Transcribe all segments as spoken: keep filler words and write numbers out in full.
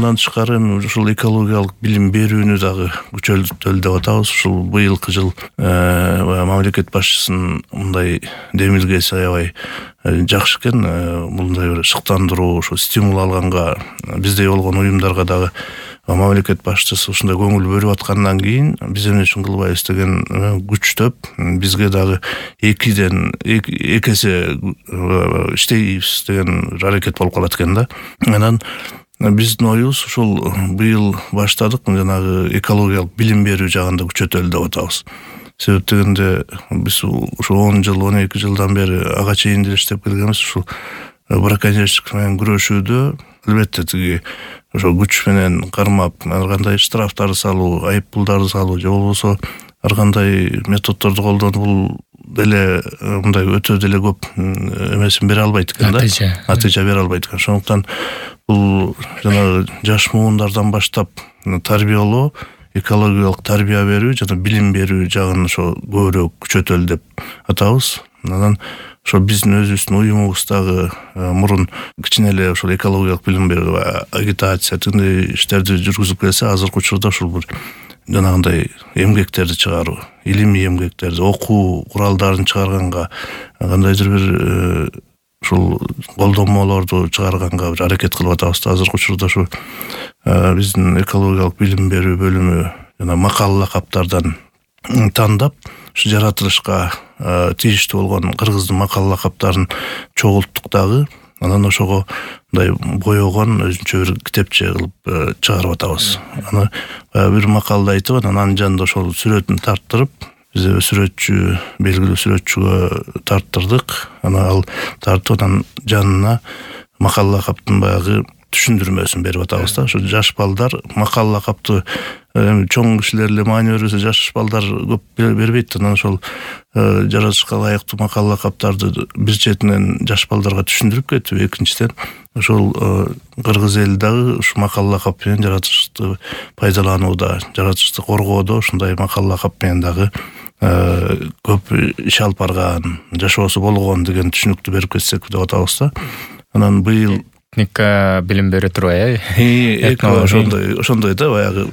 Андан тышкары эми ушул экологиялык билим берүүнү дагы күчөтөлү деп атабыз. Ушул быйылкы жыл мамлекет башчысынын мындай демилгеси аябай жакшы экен. Мындай бир шыктандыруу, ушу стимул алганга биздей болгон уюмдарга дагы мамлекет башчысы ушундай көңүл бөлүп аткандан кийин биз эмне үчүн кылбайбыз деген күчтөп бизге дагы экиден эки эсе иштейбиз деген аракет болуп калат экен да. Анан биздин оюбуз ушул быйыл баштадык жанагы экологиялык билим берүү жагында күчөтөлү деп атабыз. Себеп дегенде биз ушу он жыл он эки жылдан бери ага чейин деле иштеп келгенбиз. Ушул браконьерчилик менен күрөшүүдө албетте тиги ошо күч менен кармап ар кандай штрафтарды салуу, айып пулдарды салуу же болбосо ар кандай методдорду колдонуп бул деле мындай өтө деле көп эмесин бере албайт экен да. Натыйжа бере албайт экен. Ошондуктан бул жанагы жаш муундардан баштап тарбиялоо, экологиялык тарбия берүү жана билим берүү жагын ошо көбүрөөк күчөтөлү деп атабыз. Анан ошо биздин өзүбүздүн уюмубуздагы мурун кичине эле ошол экологиялык билим берүү, агитация тиндей иштерди жүргүзүп келсе, азыркы учурда ушул бир жанагындай эмгектерди чыгаруу, илимий эмгектерди, окуу куралдарын чыгарганга, кандайдыр бир ушул колдонмолорду чыгарганга бир аракет кылып атабыз. Азыркы учурда ушу биздин экологиялык билим берүү бөлүмү жана макал лакаптардан тандап ушу жаратылышка тийиштүү болгон кыргыздын макал лакаптарын чогулттук дагы. Анан ошого мындай боёгон өзүнчө бир китепче кылып чыгарып атабыз. Аны бир макалды айтып, анан жанында ошол сүрөтүн тарттырып, биз сүрөтчү, белгилүү сүрөтчүгө тарттырдык. Анан ал тартып, анан жанына макал лакаптын баягы түшүндүрмөсүн берип атабыз да. Ошо жаш балдар макал лакапты чоң кишилер эле маани бербесе, жаш балдар көп бербейт. Анан ошол жаратышка ылайыктуу макал лакаптарды бир четинен жаш балдарга түшүндүрүп кетип, экинчиден ошол кыргыз эли дагы ушу макал лакап менен жаратышты пайдаланууда, жаратышты коргоодо ушундай макал лакап менен дагы көп иш алып барган, жашоосу болгон деген түшүнүктү берип кетсек деп атабыз да. Анан быйыл этника билим бере турбай, э? Ошондой, ошондой да, баягы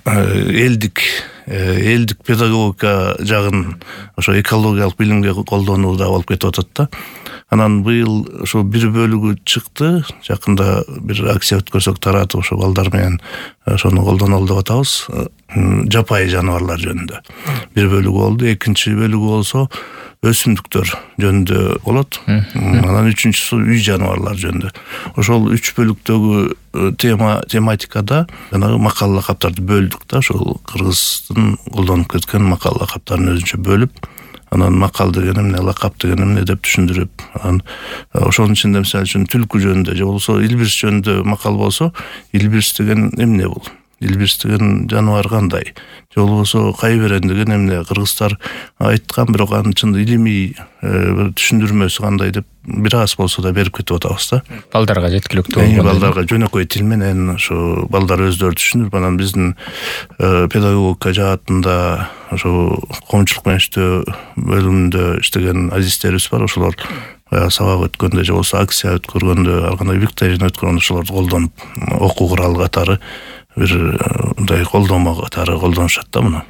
элдик, элдик педагогика жагын ошо экологиялык билимге колдонууда болуп кетип атат да. Анан быйыл ошо бир бөлүгү чыкты, жакында бир акция өткөрсөк таратып ошо балдар менен ошону колдонолу деп атабыз. Жапайы жаныбарлар жөнүндө бир бөлүгү болду, экинчи бөлүгү болсо өсүмдүктөр жөнүндө болот. Анан үчүнчүсү үй жаныбарлар жөнүндө. Ошол үч бөлүктөгү тема тематикада жанагы макал лакаптарды бөлдүк да, ошол кыргыздын колдонуп кеткен макал лакаптарын өзүнчө бөлүп, анан макал деген эмне, лакап деген эмне деп түшүндүрүп, анан ошонун ичинде мисалы үчүн түлкү жөнүндө же болбосо илбирс жөнүндө макал болсо, илбирс деген эмне бул? Илбирс деген жаныбар кандай? Же болбосо кайберен деген эмне? Кыргыздар айткан, бирок анын чын илимий бир түшүндүрмөсү кандай деп бир аз болсо да берип кетип атабыз да. Балдарга жеткиликтүү болгон. Балдарга жөнөкөй тил менен ошо балдар өздөрү түшүнүп, анан биздин педагогика жаатында ошо коомчулук менен иштөө бөлүмүндө иштеген азистерибиз бар. Ошолор сабак өткөндө же болбосо акция өткөргөндө, ар кандай викторина өткөргөндө ошолорду колдонуп, окуу куралы катары бир мындай колдомо катары колдонушат да муну.